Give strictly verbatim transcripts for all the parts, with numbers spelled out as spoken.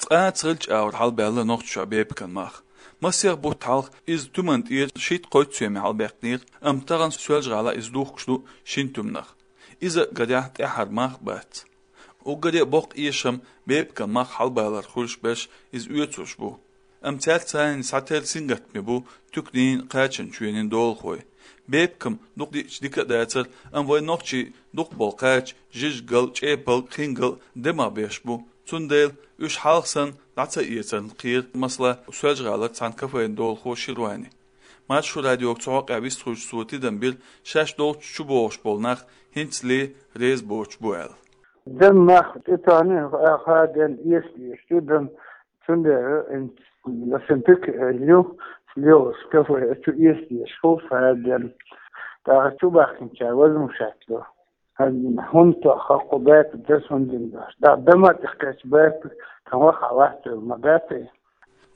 Ткъаь цхьаллича авара хьалбаьлла Нохчийчохь бепкан мах. Масех бутт хьалха иза туьман тӀера шийтта-кхойтта соьме хьалбаьккхинера, амма тахана Соьлжа-ГӀалахь иза духкуш ду шина туьманах. Иза, гарехь, тӀаьххьара мах а бац. Уггаре а боккха эшам бепкан мах хьалбалар хуьлуш берш иза оьцурш бу. Амма цаьрца цхьаьна схьатера сингаттаме бу туьканийн, кхачанчоьнийн долахой. Бепкам дукха диъча дика а дацара, амма вайн нохчий дукхахболу кхача жижигал, чӀепалг, хингал демах беш бу. Цундела уьш хьалха санна дӀа ца эцарна кхера, масала, Соьлжа-ГӀалара цхьана кафен долахо Ширвани. Маршо радиога цу хьокъехь вистхуьлуш цо тидам бира, шаьш долчу чубогӀуш болу нах хӀинцале реза боцуш бу аьлла. Дан мах тӀетоьхна, а, хаден эсалеш ю дан, цундела ин ласин пик, э, ю, леос кафе, а чу эсалеш хул хаден. ТӀаккха чу бахкинчара возмущать ло. ХӀунда тоххакху бепиг дас хӀунда дина дош? ТӀаккха дама тӀехкхечу бепиг тхан ваха а вац ма бепиг.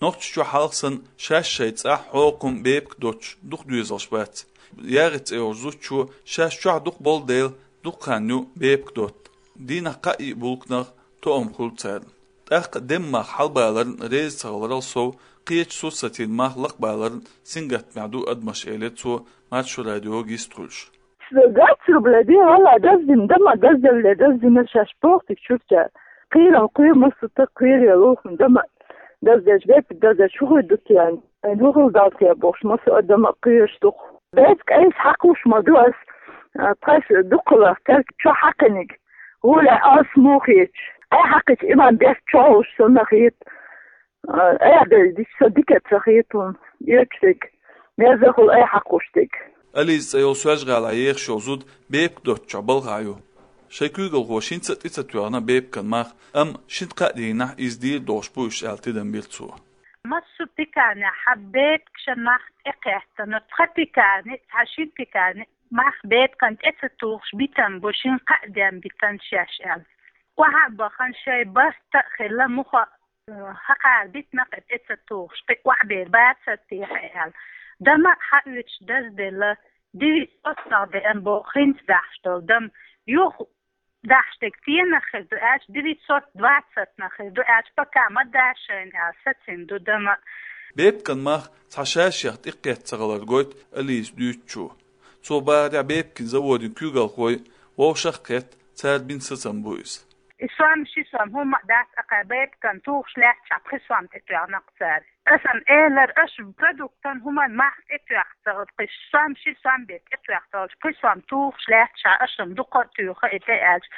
Нохчийчохь хьалха санна шаьш шайн цӀахь хьокхам бепиг доцуш дукха доьзалш бац. ЯгӀица цӀе йолчу зудчо шаьш чохь дукха болу дела, дукха хан ю бепиг дотта. Дийнахь кхаа-йиъ булканах тоам хуьлу царна. ТӀаккха деман мах хьалабаларна реза ца хиларал сов, кхечу сурсатийн мах лакхабаларна сингаттамехь ду адамаш, элира цо Маршо радиога йистхуьлуш. Двадцать рублей де, валла, даздина, дама даздалле, даздина шаьш бохтиг чуртя. Кхийрал кхуьй, массо а тӀе кхийрал ухна, дама даздеш, бепиг даздеш, хӀу хуьй ду те, айн хӀу хила дал те бохуш, массо а дама кхуьйш дукха. Бепиг айса хьакхуш ма ду ас, а, тхайса дукхалах, терг чохь хьакхиниг. Гуля ас мухич. Ай хьакхич иман бес чохь уш санна хит. Ай, ай, ди-, ди-, со дика ца хит хӀун. Эчдиг. Мерзахула ай хьакхуштиг. Ализа цӀе йолу Соьлжа-ГӀалахь ехаш йолу зуда бепиг доцучохь балхахь ю. Шайн куьйгалхоша хӀинца а тӀе ца тоьхна бепиган мах, амма шина-кхаа дийнахь иза дийр долуш бу уьш аьлла тидам бира цо. Массо а пекарнехь хьан бепиг шен мах тӀекхеттана, цхьа пекарни, цхьа шина пекарни мах бепиган тӀе ца тухуш битам бу, шина-кхаа ден битан шаьш аьлла. Охьа а бахана шайн барт а хилла муха, э, хьакхара битина кхин тӀе ца тухуш, кхин охьабер бацар техьа аьлла. Дама хьаоьцуш дазделла, девятьсот нах деана боху хӀинца дахьаш долу дама. Юха дахьаш дерг цхьаннах хир ду аьлча, девятьсот двадцатьнах хир ду аьлча, пока ма дашайна аьлла, сацина ду дама. Бепиган мах цхьа шаьшех тӀекхетта ца хилар гойту Ализа дуьйцучо. Цо бахарехь, бепиган заводин куьйгалхой вовшах а кхетта, цара бина сацам бу иза. И сом, ши сом хӀумма а дац, акхар бепиган тухуш лаьттачохь пхи сом тӀетоьхна-кх цара. Аса-м элира, аша продуктан хӀуманан мах тӀетоьхна ца хилча, пхи сом, ши сом бен тӀетоьхна ца хилча, пхи сом тухуш лаьттачохь аша-м дукха а туьйху и тӀе аьлча,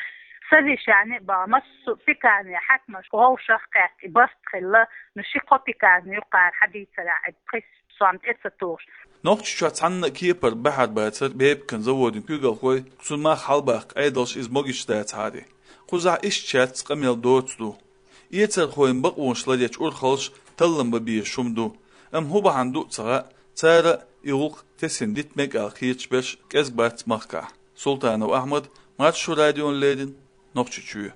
совещани а бахана, массо а пекарни хьаькамаш вовшах а кхетта, и барт хилла, ну, ши-кхо пекарни ю кхара хьадийцарехь, и пхи сом тӀе ца тухуш. Нохчийчохь цхьанна а кепара бахьар бацара бепиган заводин куьйгалхой, цуьнан мах хьалабаккха Ӏедалш иза могуш дацахьара. Кхузахь иштта шаьрца къамел доцу ду. Эцархойн бакъонаш ларъечу урхаллаша таллам бан безаш хӀума ду, амма хӀун бахьана ду а ца хаьа, цара а и гӀуллакх тесина дита мега аьлла кхеташ берш кӀезиг бац махкахь. Султанов Ахьмад, Маршо радиона леррина, Нохчийчоь.